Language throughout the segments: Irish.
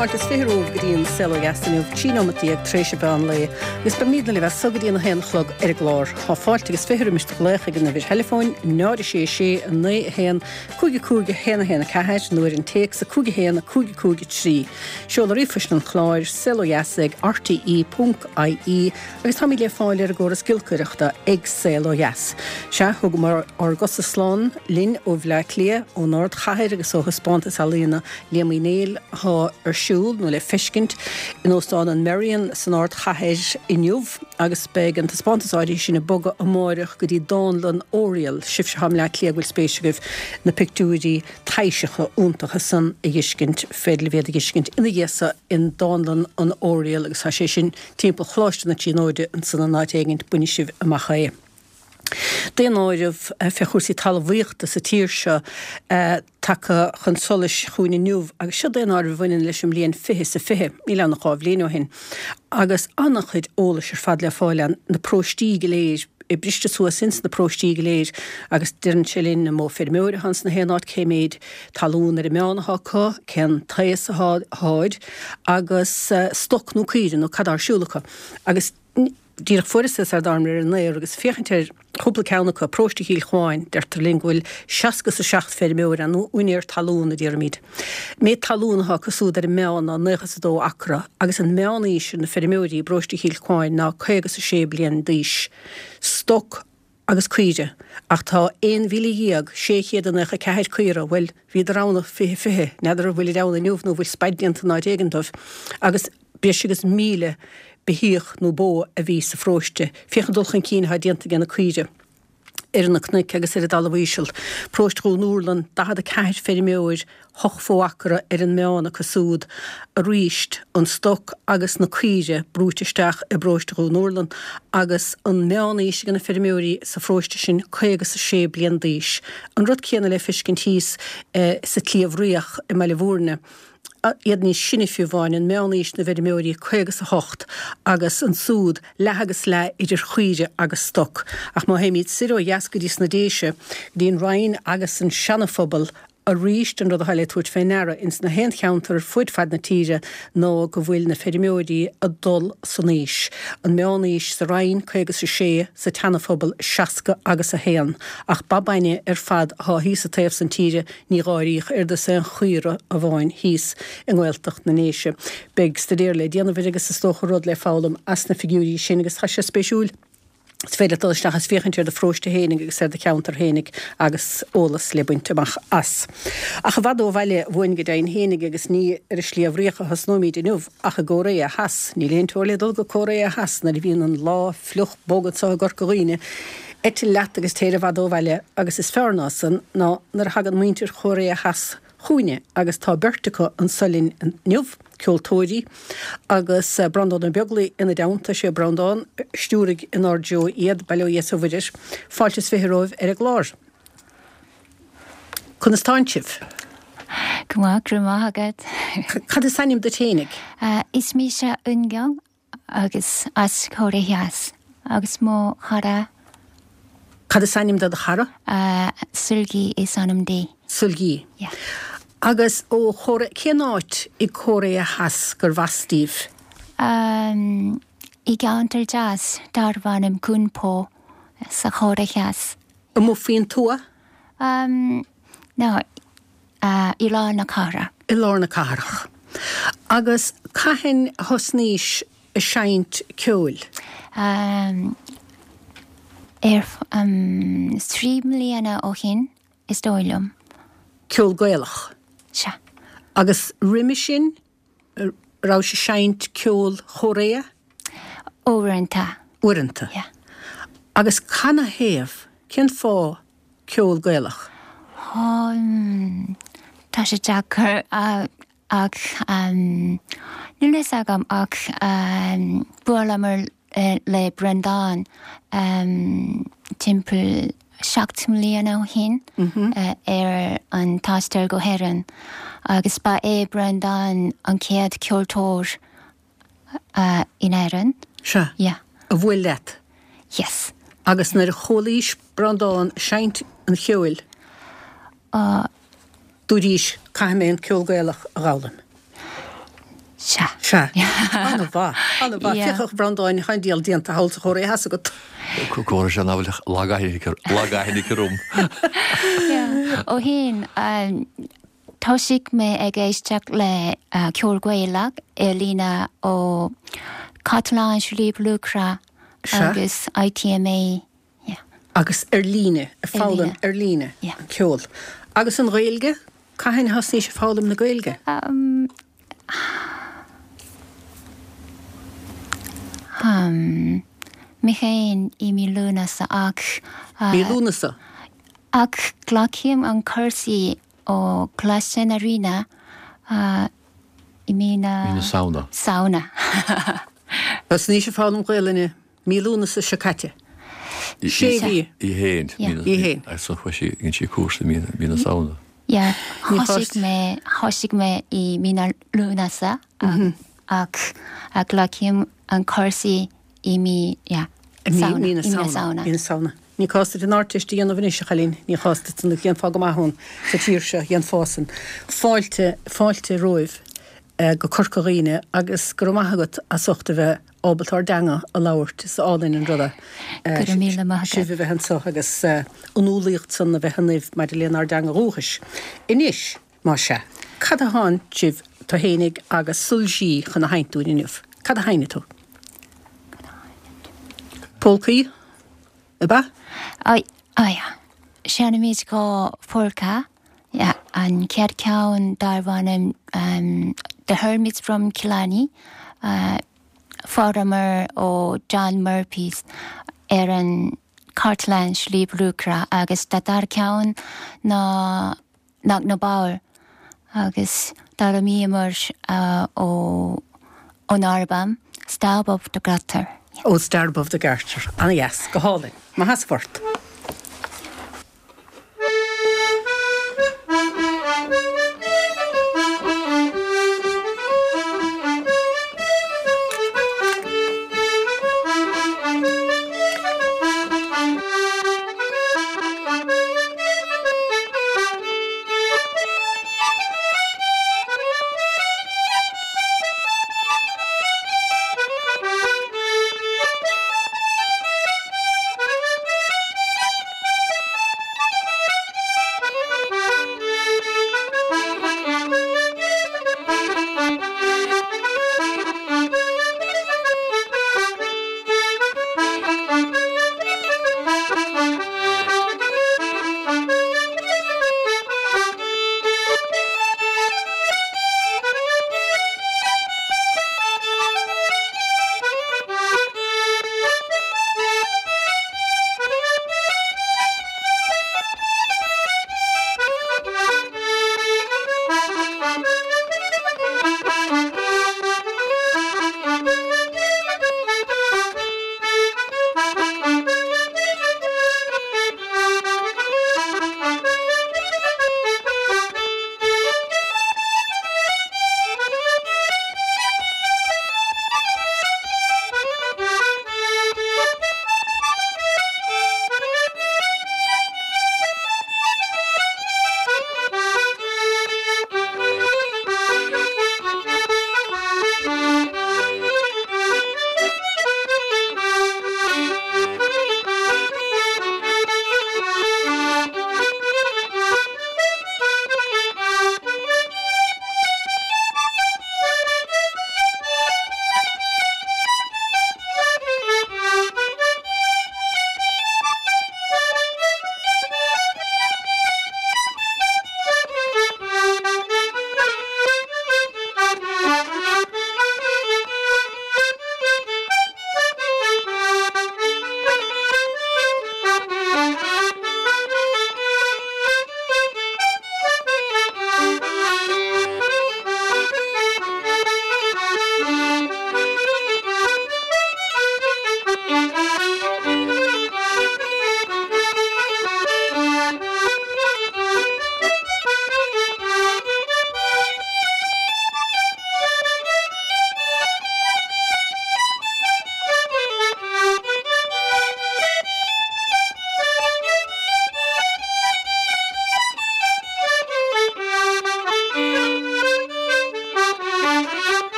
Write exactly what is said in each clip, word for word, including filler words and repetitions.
Fáilte is fiche romhaibh go dtí an Saol Ó Dheas inniu, trí nóimeat déag tar éis an mheán lae, agus beimidne libh as so go dtí an a haon a chlog ar an gclár. Tá fáilte agus fiche roimis do ghlaoch ag an uimhir theileafóin, náid a sé sé, a naoi a haon, cúig a cúig a haon a haon a ceathair, nó ar an téacs a cúig a haon, a cúig a cúig a trí. Seoladh ríomhphoist an chláir, saol ó dheas ag rte ponc ie, agus táimid le fáil ar an gcóras giolcaireachta ag Saol Ó Dheas. Sea, thugamar ár gcosa slán linn ó Bhleá Cliath, ón ardchathair agus ó thaispeántas ealaíona Liam Uí Néill atá ar siúl, nó le feiscint, in Óstán an Merrion san ardchathair inniu agus beidh an taispeántas áirithe sin ag bogadh amáireach go dtí Dánlann Oriel. Sibhse atá i mBleá Cliath go bhfuil spéis agaibh na pictiúirí taibhseacha iontacha san a dh'fheiscint, féidir libh iad a dh'fheiscint ina dhiaidh so in Dánlann an Oriel agus tá sé sin timpeall Choláiste na Tríonóide ansan in áit éigint, bainfidh sibh amach é. Daonáireamh fé chúrsaí talmhaíochta sa tír seo tagtha chun solais chugainn inniu agus seo daonáireamh a bhaineann leis an mbliain fiche is a fiche, níl ann ach dhá bhliain ó shin, agus an-chuid eolais ar fad le fáil ann, na paróistí go léir, é briste suas ins na paróistí go léir agus deireann sé linn an mó feirmeoir atá ins na haon áit, cé méid talún ar an meán atá acu, cén taos atá acu agus stoc nó caoire nó cad tá ar siúl acu agus díreach fuaireas é sar dtángamar ar an aer agus féachaint ar chúpla ceann acu, Paróiste Chill Chuáin, deirtear linn go bhfuil seasca is a seacht feirmeoir ann, nó úinéir talún a déarfaimid. Méid talún atá acu súd ar an meán ná naocha is a dó acra agus an meán aois ar na feirmeoirí i bParóiste Chill Chuáin ná caoga is a sé bliain d'aois. Stoc agus caoire, ach tá aon mhíle dhéag sé chéad a naocha ceathair caora, bhuel, bhíodar ann i fiche fiche, n'fheadar an bhfuilid ann inniu nó an bhfuil spaid déanta in áit éigin dóibh, agus breis agus míle beithíoch nó bó a bhí sa pharóiste. Féach an dul chun cinn atá déanta age na caoire ar na cnoic agus ar an dtalamh íseal. Paróiste Dhún Urlann, daichead a ceathair feirmeoir, hocht fo-acra ar an meán acu súd. Aríst, an stoc agus na caoire brúite isteach i bparóiste Dhún Urlann agus an meán-aois age na feirmeoirí sa pharóiste sin caoga is a sé bliain d'aois. An rud céanna le feiscint thíos sa tSliabh Riach i mBaile Bhúirne. Iad níos sine fiú amháin, an meán-aois na bhfeirmeoirí caoga is a hocht agus ansúd leath agus leath idir chaoire agus stoc. Ach má théimid soir ó dheas go dtí sna Déise, go dtí an Rinn agus an Seana-Phobal, arís an rud atá le tabhairt fé ndeara ins na haon cheantar ar fuid fad na tíre ná go bhfuil na feirmeoirí ag dul san aois. An meán-aois sa Rinn, caoga is a sé, sa tSeana-Phobal, seasca agus a haon. Ach ba bainne ar fad athá thíos sa taobh san tíre, ní dh'áiríodh oiread is aon chaora amháin thíos i nGaeltacht na nDéise. Beidh staidéar le déanamh air agus is dócha rud le foghlaim as na figiúirí sin agus tá sé spéisiúil. Is féidir leat dul isteach is féachaint ar do pharóiste fhéinig agus ar do cheantar fhéinig agus eolas le baint amach as. Ach i bhfad ó bhaile uainn go deimhin fhéinig agus ní ar an Sliabh Riach a thosnóimid inniu ach i gCóiréa Theas. Níl aon teora le dul go Cóiréa Theas nuair a bhíonn an lá fliuch bog anso i gCorca Dhuibhne. Eitil leat agus téir i bhfad ó bhaile agus is fearr ná san ná nuair a thagann muintir Chóiréa Theas chugainne agus tá beirt acu anso linn inniu, ceoltóirí, agus Breandán Ó Beaglaoi ina dteannta. Sé Breandán a stiúraigh inár dtreo iad, bail ó Dhia is ó Mhuire air. Fáilte is fiche romhaibh ar an gclár. Conas tánn sibh? Go maith, go raibh maith agat. Cad is ainm duit fhéinig? Is mise Eun-gyeong agus as Cóiré Theas agus mo chara. Cad is ainm do do chara? Seulgi is ainm di. Seulgi. Yeah. Agus ó Chóiré, cén áit i gCóiréa Theas gurbh as daoibh? Um, I gceantar deas darbh ainm Gunpo sa Chóiré Theas. Amuigh faoin tuath? Um, no, uh, i lár na cathrach. I lár na cathrach. Agus cathain a thosnaís ag seinnt ceoil? Um, ar um, trí mbliana ó shin, is dóigh liom. Ceol Gaelach? Sea. Agus roimhe sin, raibh sibh ag seinnt ceol Chóiréa? Uaireanta. Uaireanta. Yeah. Agus canathaobh, cén fáth ceol Gaelach? Um, tá sé deacair ach níl fhios agam ach bhuaileamar le Breandán timpeall seacht mbliana ó shin ar an taisteal go hÉirinn agus ba é Breandán an chéad ceoltóir in Éirinn. Sea. Yeah. A bhuail leat? Yes. Agus nuair a chualaís Breandán ag seinnt an cheoil, dúraís, 'Caithfidh mé an ceol Gaelach a dh'fhoghlaim'? Sea. Sea. An-mhaith. An-mhaith. Yeah. Féach a Bhreandáin tá an diabhal déanta thall sa Chóiré Theas agat. Córa sé ná lagaithne rum. Yeah. Ó shin um, thosaigh mé ag éisteacht le uh, ceol Gaelach ar líne ó Cartlann Sliabh Luachra Sea. agus ITMA. Yeah. Agus ar líne, ag foghlaim líne. ar líne Yeah. an ceol. Agus an Ghaeilge, cathain a thosnaís ag foghlaim na Gaeilge? Um, um, mé féin i mí Lúnasa ach uh, Mí Lúnasa. ach glacaim an cúrsa ó Coláiste na Ríona uh, i mí na Mí na Samhna. Samhna. Thosnaís ag foghlaim Gaeilge mí Lúnasa seo caite. Sé mhí. Í héin. Yeah. Í héin. Agus so chuaigh sí dhein sí cúrsa mí mí na Samhna. Yeah, Ní thosaigh chost- mé thosaigh mé i mí na Lúnasa ach, ach uh, glacaim an cúrsa i mí yeah, I mí Samhna, mí na i mí na Samhna. Samhna. Mí na Samhna. Ní cás duit an Ardteist a dhéanamh anois a chailín, ní chás duit an dhéanfá go maith ann sa tír seo dhéanfá san. Fáilte fáilte romhaibh eh, go Corca Dhuibhne agus go raibh maith agat as ucht a bheith ábalta ár dteanga a labhairt is álainn an rud é. Eh, Go raibh míle maith agat. Sibh a bheith anseo agus eh, an umhlaíocht san a bheith ionaibh maidir lenár dteanga dhúchais. Anois, má sea, cad a thánn sibh tú fhéinig agus Sulji chun a sheinnt dúinn inniu. Cad a sheinnfidh tú? Polcaí? Ab ea? Ai, ai, Seinnimid dhá pholca, yeah, an chéad ceann darb ainm um, The Hermits from Killarney, uh, fuaireamar ó John Murphy's ar an Cartlann Sliabh Luachra agus an dara ceann ná Knocknabower agus d'fhoghlaimíomar uh, ó ón albam Star Above the Garter. Ó Star Above the Garter. An-dheas, go hálainn. Maith as ucht. Thank you.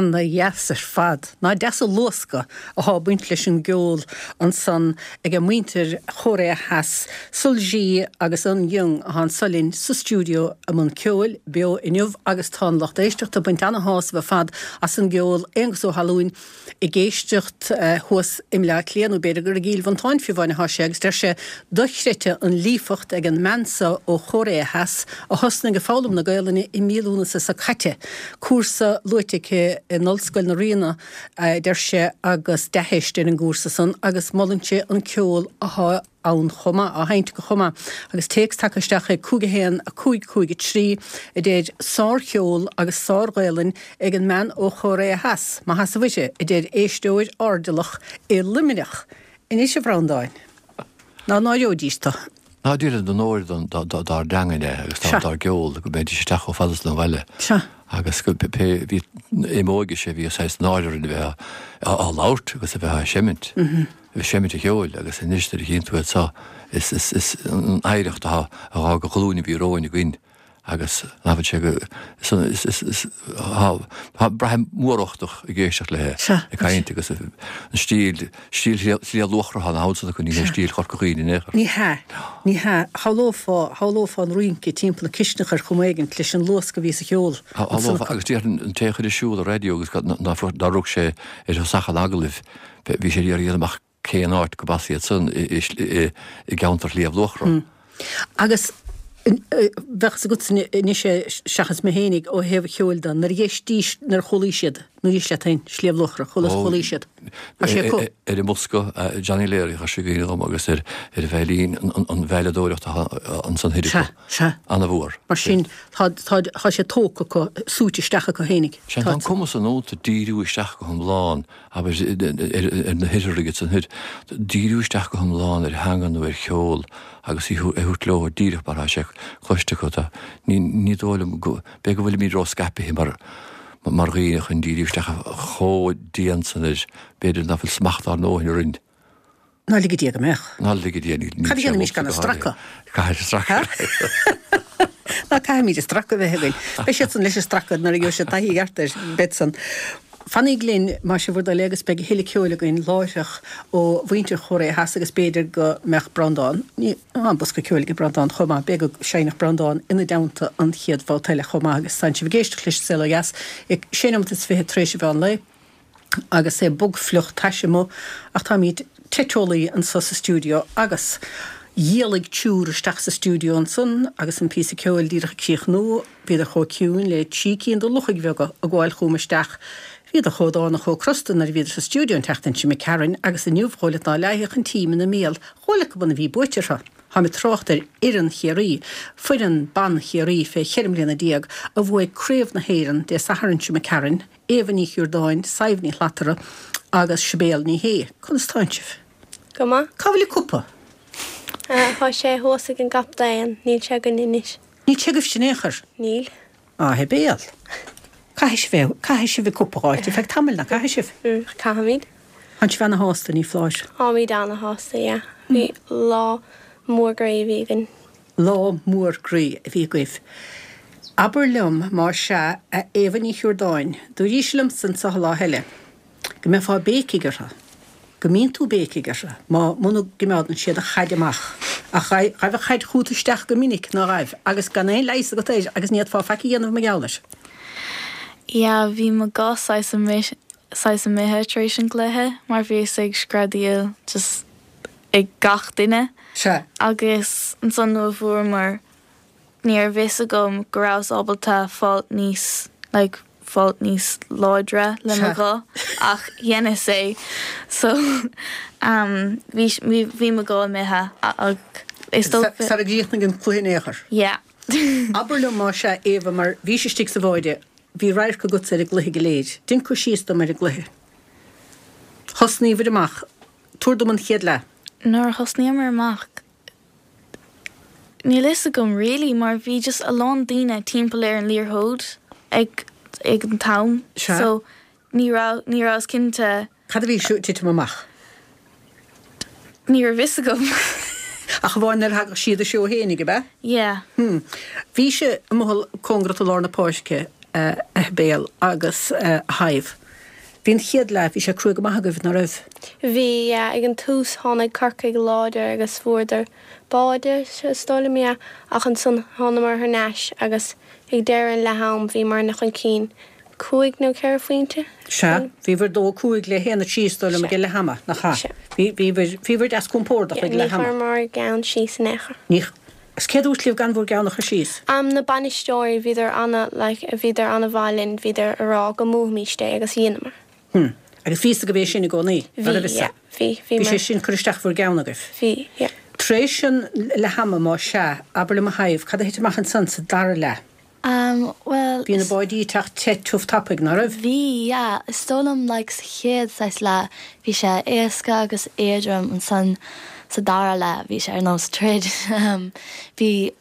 Ana-dheas ar fad. Ná deas an luascadh athá ag baint leis an gceol ansan ag muintir Chóiré Theas, Sulji agus Eun Young athá anso linn sa stiúideo i mbun ceoil beo inniu agus tá an lucht éisteachta ag baint ana-shásamh ar fad as an gceol. Aonghus Ó hAlúin ag éisteacht thuas i mBleá Cliath nó b'fhéidir gur i gCill Mhantáin fiú amháin athá sé agus deir sé dochreidte an líofacht ag an mbean so ó Chóiré Theas a thosnaigh ag foghlaim na Gaelainne i mí Lúnasa seo caite. Cúrsa luaite aici in Ollscoil na Ríona, a deir sé, agus dea-theist ar an gcúrsa san agus molann sé an ceol athá ann chomh maith, á sheinnt acu chomh maith. Agus téacs tagtha isteach ag cúig a haon, a cúig cúig a trí a deir sár-cheol agus sár-Ghaelainn ag an mbean ó Chóiré Theas, maith as a Mhuire, a deir éisteoir airdeallach i Luimneach. Anois a Bhreandáin, ná náireoidís tú. Ná déarfainn don onóir dár dteangain é agus dár gceol go mbeidís isteach chomh fada san bhaile. Agus go pé bhí i m'óige sé bhí saghas náire orainn a bheith á labhairt agus a bheith á seimint. A bheith seimint a cheoil agus anois nuair a chíonn tú iad seo is is is an oidhreacht atá a dhá ghlúin a bhí romhainn againn agus nach bhfuil sé go is is is tá braithim móruchtach ag éisteacht léi ag caint agus an stíl stíl Shliabh Luachra atá ann acu ní hé stíl Chorca Dhuibhne in aon chor. Ní hea, ní hea. Shamhlófá, shamhlófá an rince timpeall na cisteanach ar chuma éigint leis an luasc a bhí sa cheol. Shamhlófá agus déarfainn an té a chuir ar siúl an raidió agus nár rug sé ar thosach an agallaimh bhí sé ag iarraidh a dhéanamh amach cén áit go b'as iad san i gceantar Shliabh Luachra. Agus bheadh fhios agatsa anois é seachas mé fhéinig ó thaobh cheoil de, nuair a d'éistís, nuair a chualaí siad, nuair a d'éist leat féin, Sliabh Luachra, chuala, chualaí siad. Tá sé acu. Ar an mbosca, Johnny Leary, chuir sé i gcuimhne dhom agus ar ar an veidhlín, an veidhleadóireacht atá ansan thoir acu. Sea, sea. Ana-mhór. Mar sin, tá, tá, tá sé tógtha acu, súite isteach acu fhéinig. Sea, tá an cumas san iontu díriú isteach go hiomlán, abair, ar na hOirthearaigh ansan thoir, díriú isteach go hiomlán ar theanga nó ar cheol agus í a thabhairt leo díreach mar atá sé cloiste acu. Tá, ní, ní dóigh liom go, b'fhéidir go bhfuilimid ró-scaipthe mar, mar dhaoine chun díriú isteach chomh dian san air, b'fhéidir nach bhfuil smacht ár ndóthain orainn. Ná lige Dia go mbeadh. Ná lige Dia, níl Cad a sé dhéanfaimis liomsa gan go an háirithe. stracadh? Caithfidh stracadh. Ná caithfimid an stracadh a bheith againn. Beidh siadsan leis an stracadh nuair a gheobhaidh siad taithí ceart air, beidh san. Fanaíg linn, más é bhur dtoil é, agus beidh a thuilleadh ceoil againn láithreach ó mhuintir Chóiré Theas agus b'fhéidir go mbeadh Breandán, ní, tá an bosca ceoil ag Breandán chomh maith, b'fhéidir go seinnfeadh Breandán ina dteannta an chéad bhabhta eile chomh maith agus tánn sibh ag éisteacht leis an Saol Ó Dheas ag sé nóiméad is fiche tar éis an mheán lae agus é bog fliuch tais amuigh ach táimid te teolaí anso sa stiúideo agus D'éalaigh triúr isteach sa stiúideo ansan agus an píosa ceoil díreach ag críochnú. Bhíodar chomh ciúin le trí cinn de luchaigh bheaga ag gabháil chugam isteach. Bhíodar chomh dána chomh crosta nuair a bhíodar sa stiúideo an tseachtain seo imigh tharainn agus inniu dhóigh leat ná leáfadh an t-im ina mbéal dhóigh leat go b'ionann a bhí buaite orthu. Táim ag trácht ar fhoireann Chiarraí, foireann ban Chiarraí fé cheithre mbliana déag a bhuaigh Craobh na hÉireann Dé Sathairn seo imigh tharainn, Éabha Ní Chiordáin, Sadhbh Ní Shlatara agus Sibéal Ní Shé. Conas tánn sibh? Go maith. Cá bhfuil an cupa? Tá sé thuas ag an gcaptaen, níl sé againn anois. Níl sé agaibhse in aon chor? Níl. Á, hé béal. Caithfidh sibh é, caithfidh sibh an cupa a dh'fháilt ar feadh tamaill, ná caithfidh sibh? Mm, caithfimid. Tánn sibh ana-shásta, ní foláir? Táimid ana-shásta, yeah. Bhí lá mór groí a bhí againn. Lá mór groí a bhí agaibh. Abair liom, más ea, a Éabha Ní Chiordáin, dúraís liomsa anso an lá eile, go mbeifeá béicigh orthu, go mbíonn tú béicigh orthu, má, muna gcimeádann siad an chaid amach. Ach ghaibh, ghaibh an chaid chút isteach go minic, ná ghaibh, agus gan aon leigheas agat air agus ní fhéadfá faic a dhéanamh mar gheall air. Yeah, bhí mo ghuth saghas imithe, saghas imithe tar éis an gcluiche mar bhíos ag screadaíl just ag gach duine. Sea. Agus ansan nuair a bhuamar, ní raibh fhios agam go rabhas ábalta fáil níos, like, fáil níos láidre le mo ghuth ach dheineas é so um bhí bhí mo ghuth imithe ach is dócha Sara gcríochnaigh an cluiche in aon chor. Yeah. Abair liom más ea Éabha mar bhís istigh sa bháide, bhí radharc agatsa ar an gcluiche go léir. Déan cur síos dom ar an gcluiche. Thosnaíobhair amach. Tabhair dom an chéad leath. Nuair a thosnaíomar amach Níl fhios agam really mar bhí just a lán daoine timpeall ar an liathróid ag ag an t-am Sea. so ní raibh ní rabhas cinnte. Cad a bhí ag titim amach? Ní raibh fhios agam. Ach amháin nuair a thagadh siad a seó fhéinig, ab ea? Yeah. Hmm. Bhís amuigh cóngarach do lár na páirce. a Shibéal agus a Shadhbh. Bhí an chéad leath, bhí sé crua go maith agaibh, ná raibh? Bhí, yeah. Ag an tús tháinig Corcaigh láidir agus fuaireadar báide, is dóigh liom, yeah. Ach ansan thánamar thar n-ais agus ag deireadh an leath-am bhíomarna chun cinn cúig nó ceithre phointe. Sea, bhíobhair dó a cúig le haon a trí is dóigh liom ag leath ama, nach ea? Sea. Bhí, bhíobhair, bhíobhair deas compordach ag Yeah, leath ní ama. chuireamar ár gceann síos in aon chor. Ní, Is cé dúirt libh gan bhur gceann a chur síos? Am na bainisteoirí, bhíodar ana, like, bhíodar ana mhaith linn, bhíodar a rá go mbuafaimíst é agus dheineamar. Hm. Agus bhí fhios agaibh é sin i gcónaí? Bhí, yeah, bhí, bhí Bhí sé sin curtha isteach bhur gceann agaibh? Bhí, yeah. Tar éis an leath ama, má sea, abair liom a Shadhbh, cad a thit amach ansan sa dara leath? Um, bhuel. Bhí na báidí ag teacht te tiubh tapaidh, ná raibh? Bhí, yeah. Is dóigh liom, like, sa chéad saghas leath, bhí sé éasca agus éadrom, ansan sa dara leath, bhí sé ar nós troid. Um, bhí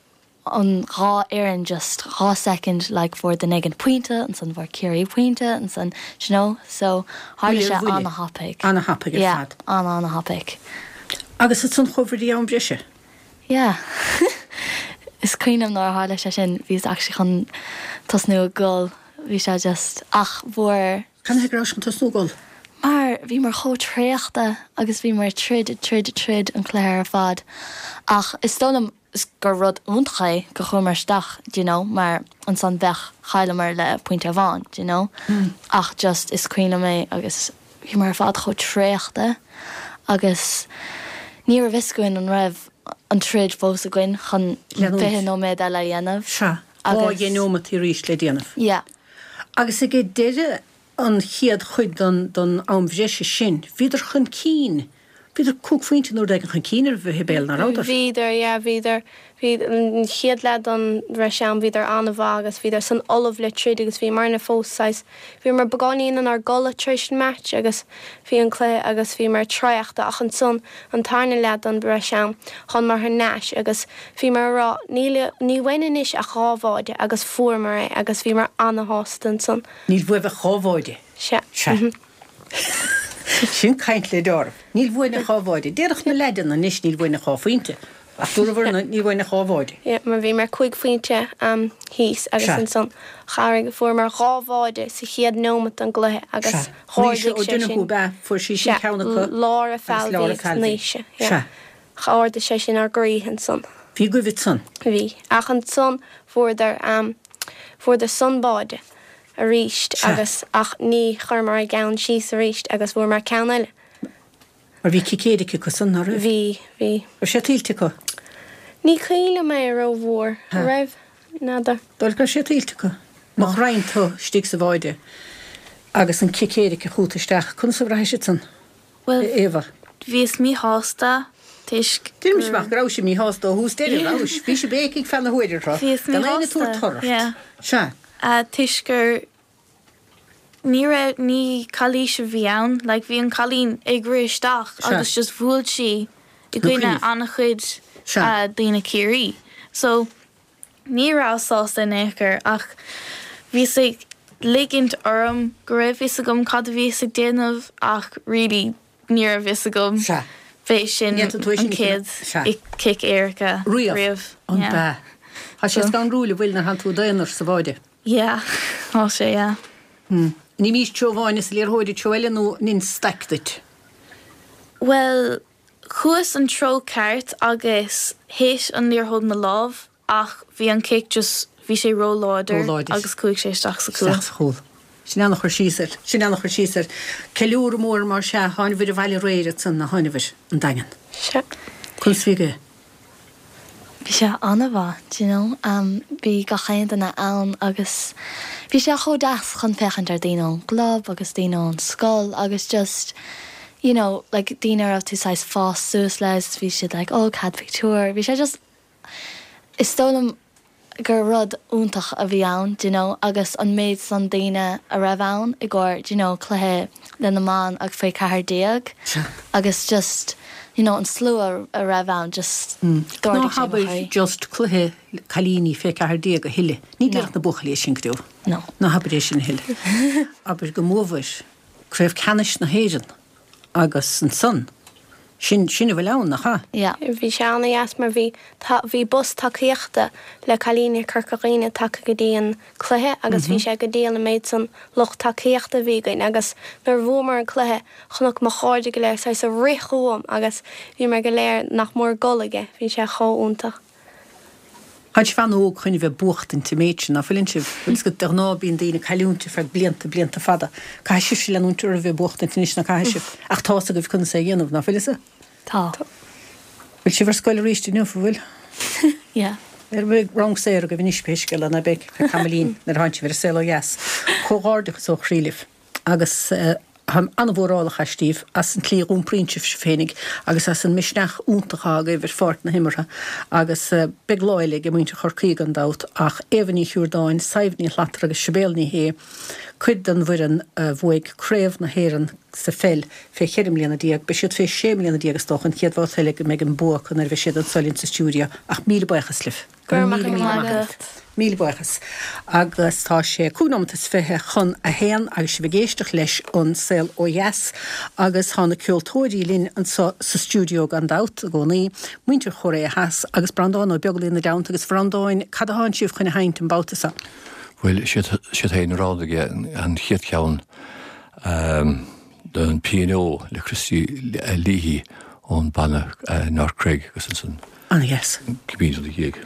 an dhá fhoireann just dhá soicind, like, fuair duine éigin pointe, ansan fuair Ciarraí pointe, ansan, do you know, so tharla Buille sé ar bhuille. ana-thapaidh. Ana-thapaidh ar Yeah, fad. ana-ana-thapaidh. Agus ansan chuabhair go dtí am breise? Yeah. Is cuimhin liom nuair a tharla sé sin, bhíos actually chun tosnú ag gol, bhí sé just, ach fuair. Canathaobh go rabhais chun tosnú ag gol? Mar bhíomar chomh traochta agus bhíomar ag troid, ag troid, ag troid an cluiche ar fad. Ach is dóigh liom gur rud iontach é gur chuamar isteach, do you know, mar ansan bheadh, chailleamar le pointe amháin, do you know. Ach just is cuimhin liom é agus bhíomar ar fad chomh traochta agus ní raibh fhios againn an raibh an troid fós againn chun fiche nóiméad eile a dhéanamh. Sea, dhá dheich neomat arís le déanamh. Yeah. Agus ag deireadh an chéad chuid den den am bhreise sin, bhíodar chun cinn, bhíodar cúig phointe nó rud éigin chun cinn oraibh, a Shibéal, ná rabhadar? Bhíodar, yeah, bhíodar, bhí an chéad leath den bhreis am, bhíodar an-mhaith agus bhíodar san ullamh le troid agus bhíomarna fós saghas, bhíomar beagáinín inár gcodladh tar éis an match agus bhí an cluiche agus bhíomar traochta ach ansan an tarna leath den bhreis am, thánamar thar n-ais agus bhíomar a rá níl, ní uainn anois ach dhá bháide agus fuaireamar é agus bhíomar ana-shásta ansan. Níl uaibh ach dhá bháide. Sea. Sea. Sin caint le deáramh. Níl uainn ach dhá bháide. Déarfadh na leaideanna anois níl uainn ach dhá phointe. Ach dúramar níl uainn ach dhá bháide. Yeah, mar bhíomar cúig phointe um, thíos agus Sea. ansan chabhraigh fuaireamar dhá bháide sa chéad nóimeat den gcluiche agus Sea. ardaigh Naoise Ó sé sin. Donoghue ab ea, fuair sí sin Sea, ceann acu Laura agus Falvey Laura agus Falvey. Naoise, yeah. Sea. Ardaigh sé sin ár gcroíthe ansan. Bhí goimh ansan. Bhí. Ach ansan fuaireadar um, fuaireadar san báide arís Sea. agus ach ní chuireamar ár gceann síos arís agus fuaireamar ceann eile. Mar bhí cic éirice acu san, ná raibh? Bhí, bhí. Raibh sé tuillte acu? Ní cuimhin liom é rómhór, Ha. raibh? N'fheadar. Dóigh go raibh sé tuillte acu. Má chroitheann tú istigh sa bháide agus an cic éirice chugat isteach, conas a bhraithis ansan? Bhuel, Éabha. Bhíos míshásta toisc Deirimse amach go raibh sibh míshásta ó thús deireadh, rabhais? Bhí sibh béicigh feadh na huaire tráth. Bhíos Gan aon míshásta, tabhairt tor ort. yeah. Sea. Uh, toisc gur ní raibh ní calaois a bhí ann, like bhí an cailín ag rith isteach Sea. agus just bhuail sí i Nó gcoinne cuimhnigh. an-chuid Sea. uh, daoine Ciarraí. So ní rabhas sásta in aon chor ach bhíos ag ligint orm go raibh fhios agam cad a bhíos ag déanamh ach really ní raibh fhios agam. Sea. B'é sin Ní fhéadfadh tú é sin an a chéad chinneadh. Sea. cic éirice Riamh. riamh. An Yeah. b'ea? Tá sé So- scanrúil an bhfuil nuair atánn tú i d'aonar sa bháide. Yeah, tá sé, yeah. Hmm. An imís treo amháin is an liathróid treo eile nó an staic duit? Well, chuas an treo ceart agus théis an liathróid mo lámh ach bhí an cic just bhí sé róláidir Róláidir. agus chuaigh sé isteach sa chúl. Isteach sa chúl. Sin an-chur síos air. Sin an-chur síos air. Ceiliúradh mór mar sea, tháinabhair abhaile aréir ansan a tháinabhair an Daingean. Sea. Conas bhí go? Bhí sé an-mhaith, do you know, um, bhí gach aon duine ann agus bhí sé chomh deas chun féachaint ar daoine ón gclub agus daoine ón scoil agus just you know, like daoine a raibh tú saghas fás suas leis, bhí siad like, oh, cad pictiúr, bhí sé just is dóigh liom gur rud iontach a bhí ann, do you know, agus an méid san daoine a raibh ann i gcomhair, do you know, cluiche le na mban ag faoi ceathair déag agus just you know, an slua a raibh ann just Ná d'ardaigh sé mo habair chroí. just cluiche cailíní fé ceathair déag a thuilleadh. Ní No. déarfadh na buachaillí sin go deo. No. Ná habair é sin a thuilleadh. Abair go mbuabhair craobh ceannais na hÉireann agus ansan Sin sin a bhfuil ann, nach ea? Yeah. Bhí sé an-deas mar bhí bhí bus tacaíochta le cailíní Corca Dhuibhne tagtha go dtí an cluiche agus bhí sé go diail an méid san lucht tacaíochta a bhí againn agus nuair a bhuamar an cluiche chonac mo chairde go léir saghas ag rith chugam agus bhíomar go léir nach mór ag gol aige, bhí sé chomh iontach. Tá sibh an-óg chun a bheith buachtaint an méid sin, ná fuileann sibh? Bhfuil fhios agat, de ghnáth bíonn daoine ag cailliúint ar feadh blianta, blianta fada. Caithfidh sibhse leanúint oraibh ag buachtaint anois, ná caithfidh sibh? Ach tá's agaibh conas é a dhéanamh, ná fuil fhios? Tá. Bhfuil sibh ar scoil arís inniu, an bhfuil? Yeah. Ar bheidh rang saor agaibh anois pé scéal é, ná beidh, feadh tamaillín, nuair a thánn sibh ar an saol ó dheas. Comhghairdeachas ó chroí libh. Agus táim an-mhórálach astaibh, as an tslí a dh'iompraíonn sibh sibh féinig agus as an misneach iontach atá agaibh ar pháirc na himeartha. Agus beidh lá eile ag muintir Chorcaí gan dabht, ach Éabha Ní Shiúrdáin, Sadhbh Ní Shlatara agus Sibéal Ní Shé, cuid den bhfoireann a bhuaigh Craobh na hÉireann sa pheil fé cheithre mbliana déag, beidh siad fé sé mbliana déag is dócha an chéad bhabhta eile go mbeidh an bua acu nuair a bheidh siad anso linn sa stiúideo. Ach míle buíochas libh. Go raibh míle míle maith agat. Míle buíochas. Agus tá sé cúig nóimeat is fiche chun a haon agus sibh ag éisteacht leis An Saol Ó Dheas agus tá na ceoltóirí linn anso sa stiúideo gan dabht i gcónaí, muintir Chóiréa Theas agus Breandán Ó Beaglaoi ina dteannta agus a Bhreandáin, cad atánn sibh chun a sheinnt an babhta seo? Bhuel, siad féin a roghnaigh an chéad cheann den Pianó le Christy Leahy ón banna North Cregg agus ansan An-dheas. Cibé ina dhiaidh.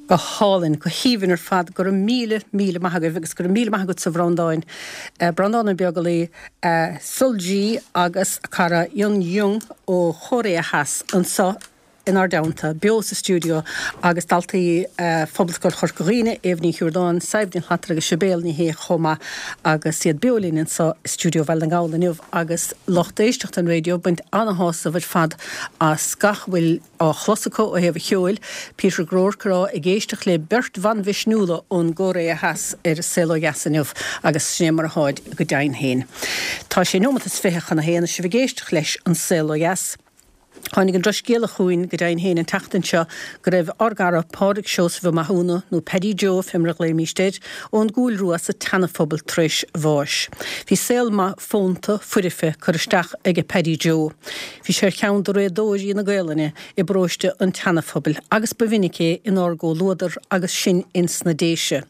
Go hálainn, go haoibhinn ar fad. Go raibh míle, míle maith agaibh agus go raibh míle maith agatsa a Bhreandáin. Breandán Ó Beaglaoi, Sulji agus a cara Yun Jung ó Chóiréa Theas anseo inár dteannta, beo sa stiúideo agus daltaí Phobalscoil Chorca Dhuibhne, Éabha Ní Chiordáin, Sadhbh Ní Shlatara agus Sibéal Ní Shé chomh maith agus iad beo linn anseo i stiúideo Bhaile na nGall inniu agus lucht éisteachta an raidió ag baint ana-shásamh ar fad as gach a bhfuil á chlos acu ó thaobh an cheoil, Peter Groarke ag rá ag éisteacht le beirt bhan mhisniúla ón gCóiré Theas ar Saol Ó Dheas inniu agus sin é mar atáid go deimhin féin. Tá sé nóimeat is fiche chun a haon is sibh ag éisteacht leis an Saol Ó Dheas. Tháinig an drochscéala chugainn go deimhin féin an tseachtain seo go raibh ár gcara Pádraig Seosamh Ó Mathúna, nó Paddy Joe fé mar a ghlaoimíst air, ón gCúil Rua sa tSeana-Phobal tar éis bháis. Bhí saol maith fónta, foirfe curtha isteach aige Paddy Joe. Bhí sé ar cheann de réadóirí na Gaelainne i bparóiste an tSeana-Phobail agus ba mhinic é inár gcomhluadar agus sinn ins na Déise.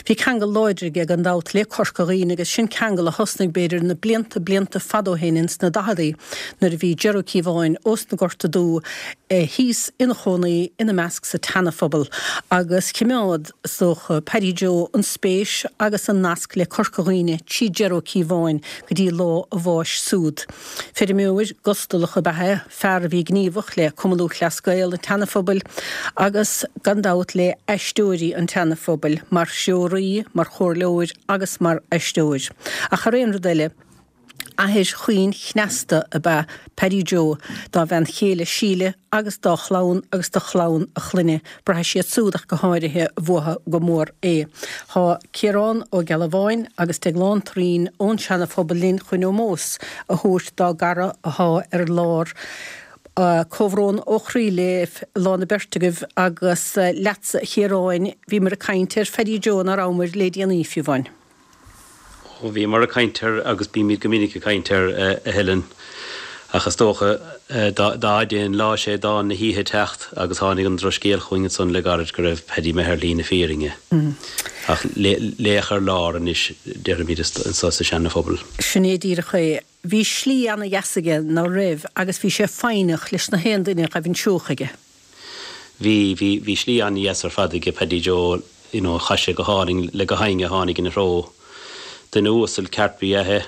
Bhí ceangal láidir aige gan dabht le Corca Dhuibhne agus sin ceangal a thosnaigh b'fhéidir na blianta blianta fada ó shin ins na daicheadaí nuair a bhí Ger Ó Cíobháin ós na Gorta Dubha thíos ina chónaí ina measc sa tSeana-Phobal agus chimeád, is dócha, Paddy Joe an spéis agus an nasc le Corca Dhuibhne trí Ger Ó Cíobháin go dtí lá a bháis súd. Feirmeoir gustalach ab ea é, fear a bhí gníomhach le Cumann Lúthchleas Gael an tSeana-Phobail agus gan dabht le Aisteoirí an tSeana-Phobail mar threoraí, mar chomhairleoir agus mar aisteoir. Ach thar aon rud eile, Athair chaoin chneasta ab ea Paddy Joe dá bhean chéile Síle agus dá chlann agus do chlann a chlainne. Braithfidh siad súd ach go háirithe uathu go mór é. Tá Ciarán Ó Gealbháin agus Deaglán Turraoin ón Seana Phobal linn chun ómós a thabhairt dá gcara athá ar lár. Comhbhrón ó chroí libh lán na beirt agaibh agus leatsa a Chiaráin, bhíomar ag caint ar Phaddy Joe ná rabhamar le déanaí fiú amháin. Ó, bhíomar ag caint air agus bímid go minic ag caint air, a Helen. Ach is dócha, dá fhaide an lá sé dán na hoíche teacht agus tháinig an drochscéal chugainn ansan le gairid go raibh Paddy imithe ar shlí na fírinne. Ach laoch ar lár anois, déarfaimid, anso sa Seana-Phobal. Sin é díreach é. Bhí slí ana-dheas aige, ná raibh, agus bhí sé foighneach leis na haon duine a ghaibh anseo chuige. Bhí, bhí, bhí slí an-dheas ar fad aige Paddy Joe, you know, chaith sé go hálainn le gach éinne a tháinig ina threo. Duine uasal ceart ba ea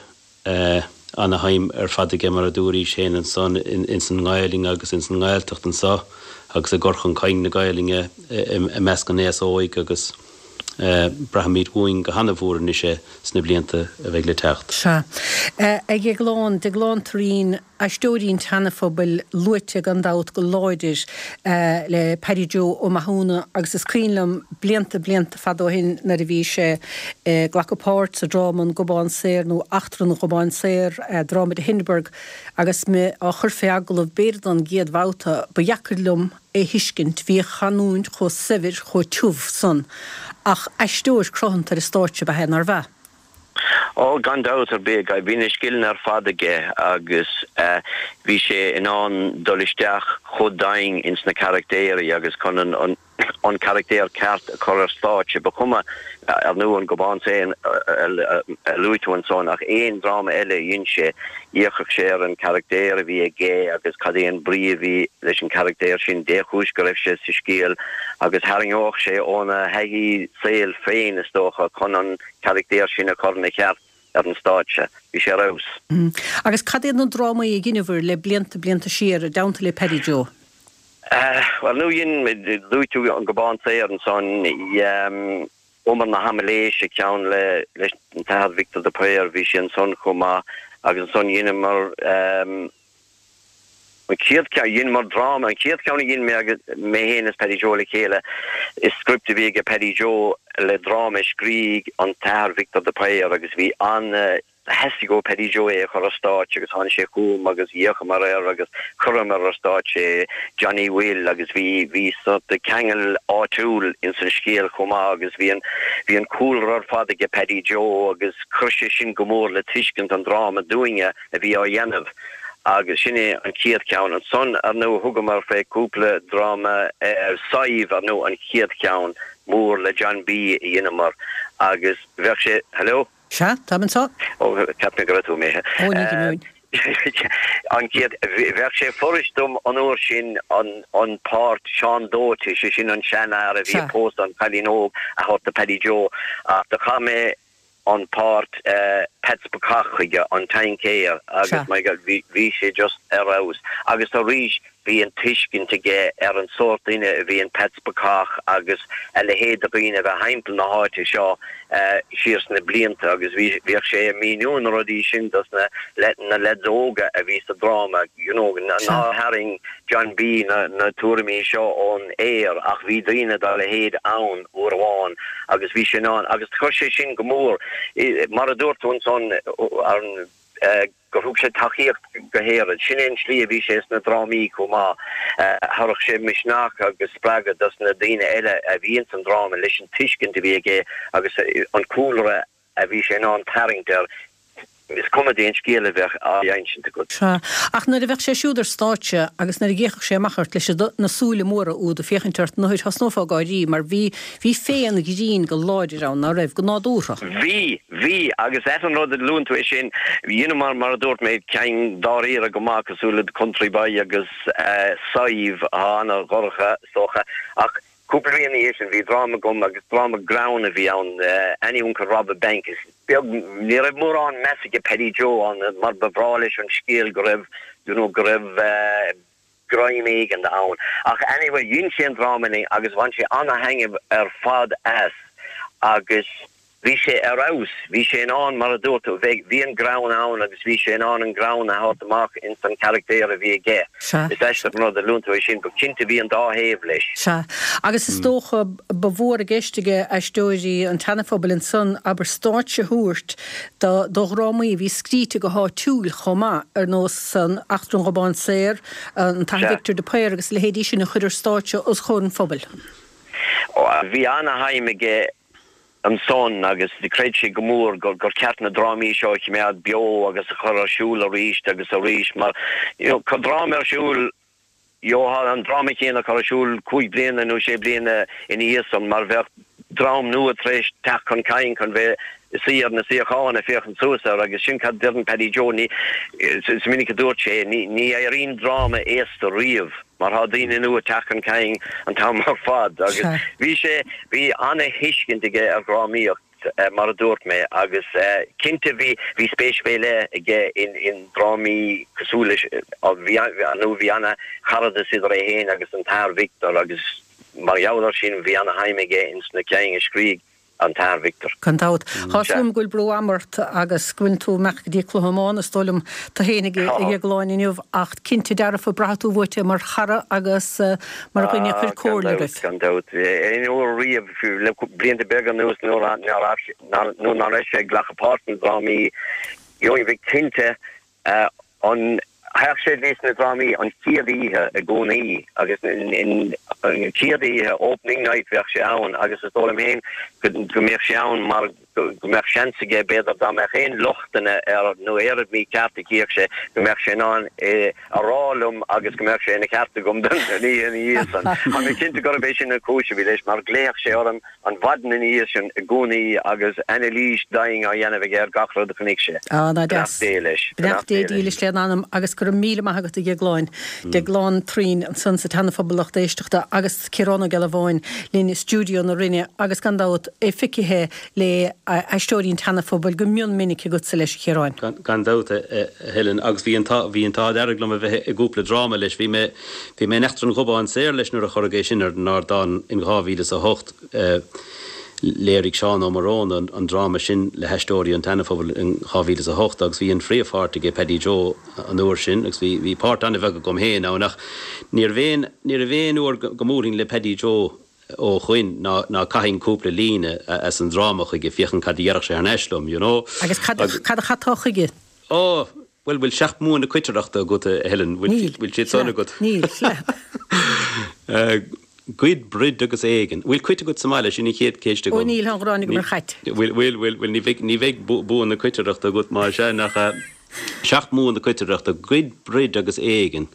é, ana-shuim ar fad aige mar a dúraís féin ansan ins an nGaelainn agus ins an nGaeltacht anso agus i gcur chun cinn na Gaelainne i measc an aos óig agus braithfimid uainn go hana-mhór anois é sna blianta a bheidh le teacht. Sea. A Dheagláin, Deaglán Turraoin, Aisteoirí an tSeana-Phobail luaite gan dabht go láidir le Paddy Joe Ó Mathúna agus is cuimhin liom blianta blianta fada ó shin nuair a bhí sé ag glacadh páirt sa dráma An Gobán Saor nó Eachtra an Ghobáin Saor, dráma de Hindeberg, agus mé á chur fé agallamh b'fhéidir don gcéad bhabhta, ba dheacair liom é thuiscint, bhí a chanúint chomh saibhir, chomh tiubh san. Ach aisteoir cruthanta ar an stáitse ab ea é, nárbh ea? Ó, gan dabht ar bith, bhí na scileanna ar fad aige agus bhí sé in ann dul isteach chomh domhain ins na carachtéirí agus chun an an carachtéir ceart a chur ar stáitse. Ba chuma, ar ndóigh, an Gobán Saor a luaigh tú ansan ach aon dráma eile a dhein sé, d'fhéachfadh sé ar an charachtéir a bhí aige agus cad é an brí a bhí leis an charachtéir sin, dé chúis go raibh sé sa scéal agus tharraingeodh sé óna thaithí saoil féin, is dócha, chun an carachtéir sin a chur ina cheart ar an stáitse. Bhí sé ar fheabhas. Agus cad iad na drámaí a dheineabhair le blianta, blianta siar i dteannta le Paddy Joe? Bhuel, nó dhein, luaigh tú An Gobán Saor ansan, Umar na hAimiléise, ceann le, leis an tAthair Victor de Paor, bhí sé ansan chomh maith agus ansan dheineamar, An chéad cheann, dheineamar dráma, an chéad cheann a dhein mé agus mé féin is Paddy Joe le chéile, is script a bhí aige Paddy Joe le dráma a scrígh an tAthair Victor de Paor agus bhí an, theastaigh ó Paddy Joe é a chur ar stáitse agus tháinig sé chugam agus d'fhéachamar air agus chuireamar ar stáitse é, Johnny Will agus bhí, bhí sort ceangal áitiúil ins an scéal chomh maith agus bhí an, bhí an cúlra ar fad aige Paddy Joe agus chuir sé sin go mór le tuiscint an dráma dúinne a bhí á dhéanamh. Agus sin é an chéad cheann. Ansan, ar ndóigh, thugamar fé cúpla dráma, Sadhbh, ar ndóigh, an chéad cheann mór le John B. a dheineamar agus bheadh sé, hello? Sea, táim anso. Ó, cheap mé go raibh tú imithe. Ó, ní go minic. An chéad, bheadh sé fuirist dom an uair sin an, an páirt Seán Dóite, sé sin an seanfhear a bhí ag pósadh an chailín óg a thabhairt do Paddy Joe ach do chaith mé an páirt, Peats Bacach chuige an taincéir agus my God bhí bhí sé just ar fheabhas agus arís bhí an tuiscint aige ar an sórt duine a bhí in Peats Bacach agus a leithéid de dhaoine a bheith thimpeall na háite seo siar sna blianta agus bhí bhíodh sé ag míniú na rudaí sin dos na na leaids óga a bhí sa dráma you know ná tharraing John B na na tuairimí seo ón aer ach bhí daoine dá leithéid ann uair amháin agus bhí sé in ann agus chuir sé sin go mór mar a dúirt tú ansan an gur thug sé tacaíocht go hÉirinn. Sin é an slí a bhí sé sna drámaí chomh maith. Thabharfadh sé misneach agus spreagadh dos na daoine eile a bhí ins an dráma leis an tuiscint a bhí aige agus an cúlra a bhí sé in ann tarraingt air. Is cuma cén scéal a bheadh á insint agat. Sea. Ach nuair a bheadh sé siúd ar stáitse agus nuair a d'fhéachfadh sé amach ort leis na súile móra úd ag féachaint ort, nuair thosnófá ag gáirí mar bhí, bhí féith an ghrinn go láidir ann, ná raibh, go nádúrtha. Bhí, bhí, agus ait an rud a luann tú é sin, you know mar, mar a dúirt mé, cinn dáiríre go maith cosúil le The Country Boy agus Sadhbh atá ana-dhorcha is dócha, ach cúpla bliain ina dhiaidh sin bhí dráma agam agus dráma greann a bhí ann, Annie Who Could Rob a Bank, is beag, ní raibh mórán meas aige Paddy Joe ann mar ba bhreá leis an scéal go raibh, you know, go raibh eh, greim éigin ann. Ach anyway, dhein sé an dráma linn agus bhain sé ana-thaitneamh ar fad as agus bhí sé ar fheabhas, bhí sé in ann, mar a dúirt tú, bheadh, bhí an greann ann agus bhí sé in ann an greann a thabhairt amach ins an charachtar a bhí aige. Sea. Is aisteach an rud a luann tú é sin, but cinnte bhí an dá thaobh leis. Sea. Agus is dócha ba mhór i gceist aige Aisteoirí an tSeana-Phobail ansan, abair, stáitse a thabhairt do do dhrámaí a bhí scríte go háitiúil chomh maith, ar nós an Eachtra an Ghobáin Saor, an tAthair Victor de Paor agus a leithéidí sin a chur ar stáitse os comhair an phobail. Bhí ana-shuim aige ansan agus chreid sé go mór gur gur ceart na drámaí seo a choimeád beo agus a chur ar siúl arís agus arís mar you know cur dráma ar siúl gheofá an dráma céanna curtha ar siúl cúig bliana nó sé bliana ina dhiaidh san mar bheadh dream nua tar éis teacht chun cinn chun bheith ag suí ar na suíocháin ag féachaint suas air agus sin cad deireann Paddy Joe ní is minic a dúirt sé ní ní éiríonn dráma aosta riamh mar tá daoine nua ag teacht chun cinn an t-am ar fad agus bhí sé bhí ana-thuiscint aige ar dhrámaíocht mar a dúirt mé agus cinnte bhí bhí spéis fé leith aige in in drámaí cosúil leis bhí nó bhí ana-charadas idir é féin agus an tAthair Victor agus mar gheall air sin bhí ana-shuim aige ins na cinn a scrígh an tAthair Victor. Gan dabht. Tá a fhios agam go bhfuil brú ama ort agus go bhfuil tú ag imeacht go dtí cluiche iomána is dóigh liom tú féin a Dhéagláin inniu ach cinnte dearfa braithfidh tú uait é mar chara agus mar dhuine a chuir comhairle oraibh. Gan dabht. Aon uair riamh, fiú le blianta beaga anuas nuair nuair nach raibh sé ag glacadh páirt sna drámaí, gheobhainn bheith cinnte an Théadh sé go dtí sna drámaí an chéad oíche i gcónaí agus an chéad oíche, opening night, bheadh sé ann agus is dóigh liom féin go mbeadh sé ann mar go mbeadh seans aige b'fhéidir dá mbeadh aon lochtanna air nó aon rud mícheart a chífeadh sé go mbeadh sé in ann é a rá liom agus go mbeadh sé ina cheart agam don oíche ina dhiaidh san. Tá mé cinnte gurb é sin an chúis a bhí leis mar ghlaodh sé orm an mhaidin ina dhiaidh sin i gcónaí agus anailís domhain á dhéanamh aige ar gach rud a chonaic sé. Á, ná deas. Beannacht Dé leis. Beannacht Dé dílis lena anam agus go raibh míle maith agat a Dhéagláin. Déaglán Thureen ansan sa tSeana-Phobal lucht éisteachta agus Ciarán Ó Gealbháin linn i stiúideo na Rinne agus gan dabht é feicthe le Aisteoirí an tSeana-Phobail go mion minic agatsa leis a Chiaráin. Gan dabht, a Helen, agus bhí an t-ádh dearg liom a bheith i gcúpla dráma leis. Bhí mé bhí mé in Eachtra an Ghobáin Saor leis nuair a cuireadh é sin ar an ardán in dhá mhíle is a hocht. Léirigh Seán Ó Moróna an dráma sin le hAisteoirí an tSeana-Phobail in dhá mhíle is a hocht agus bhí an phríomhpháirt aige Paddy Joe an uair sin agus bhí bhí páirt an-bheag agam féin ann ach níorbh aon níorbh aon uair go mbuailfinn le Paddy Joe ó shoin ná ná caithfinn cúpla líne as an dráma chuige féachaint cad a dhéarfadh sé thar n-ais liom, you know. Agus cad cad a chaiteá chuige? Ó, bhuel, bhfuil seacht mbua na coitireachta agat, a Helen? Níl. Bhfuil siad san agat? Níl. Goid, broid agus éigean. Bhfuil cait agat sa mbaile? Sin an chéad ceist agam. Ó níl, tá an ghráin agam ar chait. Bhfuil, bhfuil, bhfuil, bhfuil, ní bheidh, ní bheidh bua na coitireachta agat má sea, nach ea? Seacht mbua na coitireachta, goid, broid agus éigean,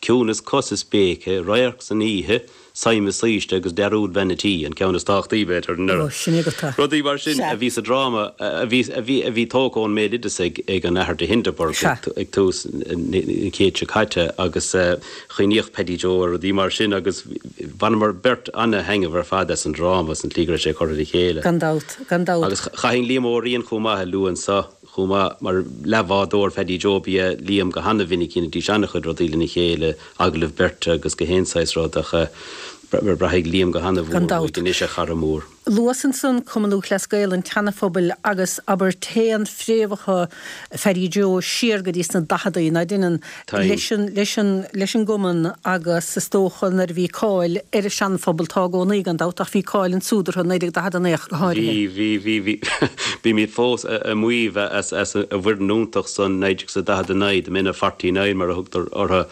ciúnas cos is béice, radharc san oíche, Sime saoiste agus dearúd bhean a' tí, an ceann is tábhachtaí, b'fhéidir, ar Ó, sin agat é. Rudaí mar sin Sea. a bhí sa dráma a bhí, a bhí, a bhí tógtha ón mbéaloideas ag, ag an Athair de Hindeberg Sea. ag tús an chéid seo caite agus chuimhníodh Paddy Joe ar rudaí mar sin agus bhaineamar beirt ana-thaitneamh ar fad as an dráma, as an tslí go raibh sé curtha le chéile. Gan dabht, gan dabht. Agus chaithfinn Liam Ó Riain chomh maith a lua anseo. chomh maith, mar leathbhádóir Phaddy Joe ba ea Liam go hana-mhinic, dheinidís an-chuid rudaí lena chéile, agallaimh beirte agus gach aon saghas rud ach braithfidh Liam go hana-mhór Gan dabht. uaidh anois, a chara mór. Luas ansan Cumann Lúthchleas Gael an tSeana-Phobail agus abair téann fréamhacha Phaddy Joe siar go dtí sna daicheadaí, ná deineann, Táim. leis an, leis an, leis an gcumann agus is dócha nuair a bhí cáil ar an Seana-Phobal, tá i gcónaí gan dabht, ach bhí cáil ansúd orthu i naoi déag daichead a naoi ach go háirithe. Bhí, bhí, bhí, bhí. Bímid fós a' maíomh as, as an bhfoireann iontach san naoi déag is a daichead a naoi, the men of forty nine mar a thugtar orthu.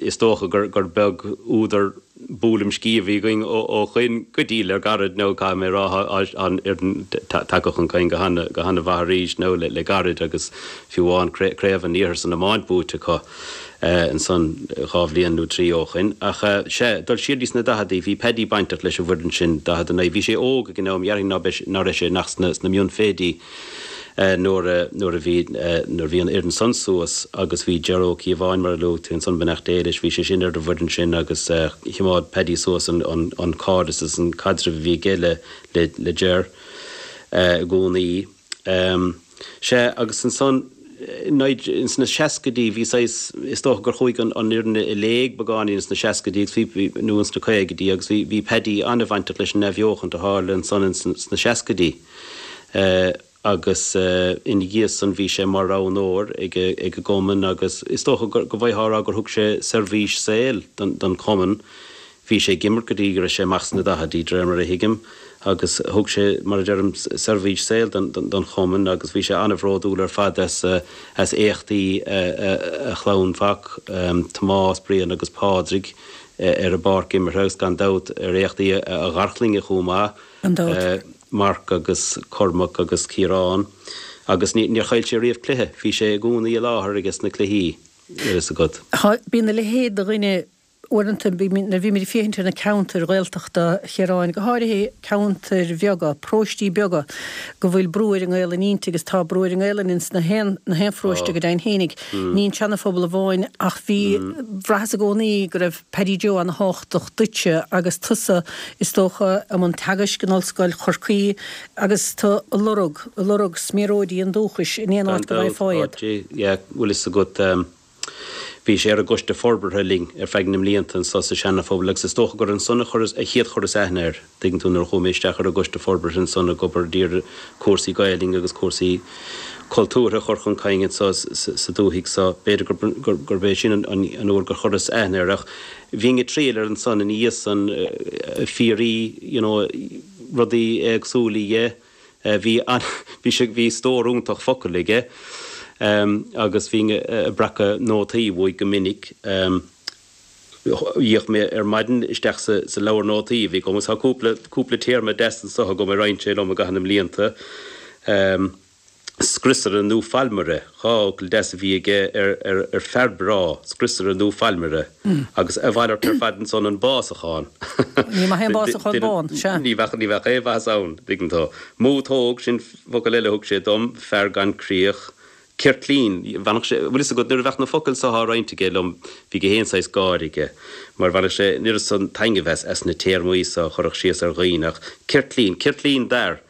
Is dócha gur, gur beag údar buaileam sciath a bhí againn ó shoin go dtí le gairid nó caithfidh mé a rá tá an fhoireann tagtha chun cinn go hana-mhaith arís nó le gairid agus fiú amháin Craobh an Iarthair san iomáint buaite acu ansan dhá bhliain nó trí ó shoin. Ach sea, dul siar dtí sna daicheadaí, bhí Paddy bainteach leis an bhfoireann sin, daichead a naoi. Bhí sé óg ag an am, dhéarfainn ná raibh sé ach sna mionfhichidí. nuair a nuair a bhí nuair a bhí an fhoireann san suas agus bhí Ger Ó Cíobháin mar a luaigh tú ansan beannacht Dé leis bhí sé sin ar an bhfoireann sin agus chimeád Paddy suas an an an cairdeas is an caidreamh a bhí aige le le le Ger i gcónaí. Sea agus ansan ins na seascaidí bhí saghas is dócha gur chuaigh an an fhoireann i léig beagáinín ins na seascaidí agus bhí nó ins na caogaidí agus bhí bhí Paddy an-bhainteach leis an athbheochaint a tharla ansan ins sna seascaidí. agus ina dhiaidh san bhí sé mar roghnóir ag an gcumann agus is dócha go bhféadfá a rá gur thug sé seirbhís saoil don chumann. Bhí sé ag imirt go dtí go raibh sé amach sna daichidí, de réir mar a thuigim, agus thug sé, mar a deirim, seirbhís saoil don chumann agus bhí sé an-bhródúil ar fad as éachtaí a chlann mhac, Tomás, Brian agus Pádraig, ar an bpáirc imeartha agus gan dabht ar éachtaí a gharchlainne chomh maith. Gan dabht. Marc agus Cormac agus Ciarán agus níor chaill sé riamh cluiche, bhí sé i gcónaí i láthair ages na cluichí, bhfuil fhios agat. Tá, bíonn a leithéid de dhuine uaireanta, nuair a bhímid ag féachaint ar na ceantair Ghaeltachta, a Chiaráin, go háirithe ceantair bheaga, paróistí beaga, go bhfuil brú ar an nGaelainn inti agus tá brú ar an nGaelainn ins na haon, na haon pharóiste go deimhin fhéinig. Ní an Seana-Phobal amháin ach bhí, bhraitheas i gcónaí go raibh Paddy Joe ana-thábhachtach duitse agus tusa, is dócha, i mbun teagaisc in Ollscoil Chorcaí agus tú ag lorg, ag lorg sméaróidí an dúchais in aon Gan áit go dabht, bhfaighfeá iad. áit, yeah, bhfuil fhios agat, bhí sé ar an gcoiste forbartha linn ar feadh na mblianta anso sa Seana-Phobal agus is dócha gur ansan a chuireas, a chéad chuireas aithne air, tuigeann tú, nuair a chuaigh mé isteach ar an gcoiste forbartha ansan ag obair d'iarraidh cúrsaí Gaelainne agus cúrsaí cultúrtha a chur chun cinn anso sa dúthaigh so. B'fhéidir gurb é sin an uair gur chuireas aithne air ach bhínn ag triall air ansan ina dhiaidh san ag fiafraí you know rudaí éagsúla dhe. Bhí bhí sé bhí stór iontach focal aige agus bhínn ag breacadh nótaí uaidh go minic. D'fhéach mé ar maidin isteach sa leabhar nótaí a bhí agam agus tá cúpla, cúpla téarma deas anso agam a roinn sé liom i gcaitheamh na mblianta. Scriosaire nó failmire, dhá fhocal deas a bhí aige ar, ar, ar fear breá, scriosaire nó failmire. Agus a mhalairt ar fad ansan an básachán. Ní maith é an básachán bán, sea. Ní bheadh, ní bheadh aon mhaitheas ann, dtuigeann tú. Mútóg, sin focal eile a thug sé dom, fear gan críoch. Ceirtlín, bhainfeadh sé, bhfuil fhios agat, nuair a bheadh na focail so á roinnt aige liom, bhí gach aon saghas gáire aige, mar bhainfeadh sé an oiread san taitnimh as, as na téarmaí so a chuirfeadh síos ar dhaoine, ach ceirtlín, ceirtlín d'fhear,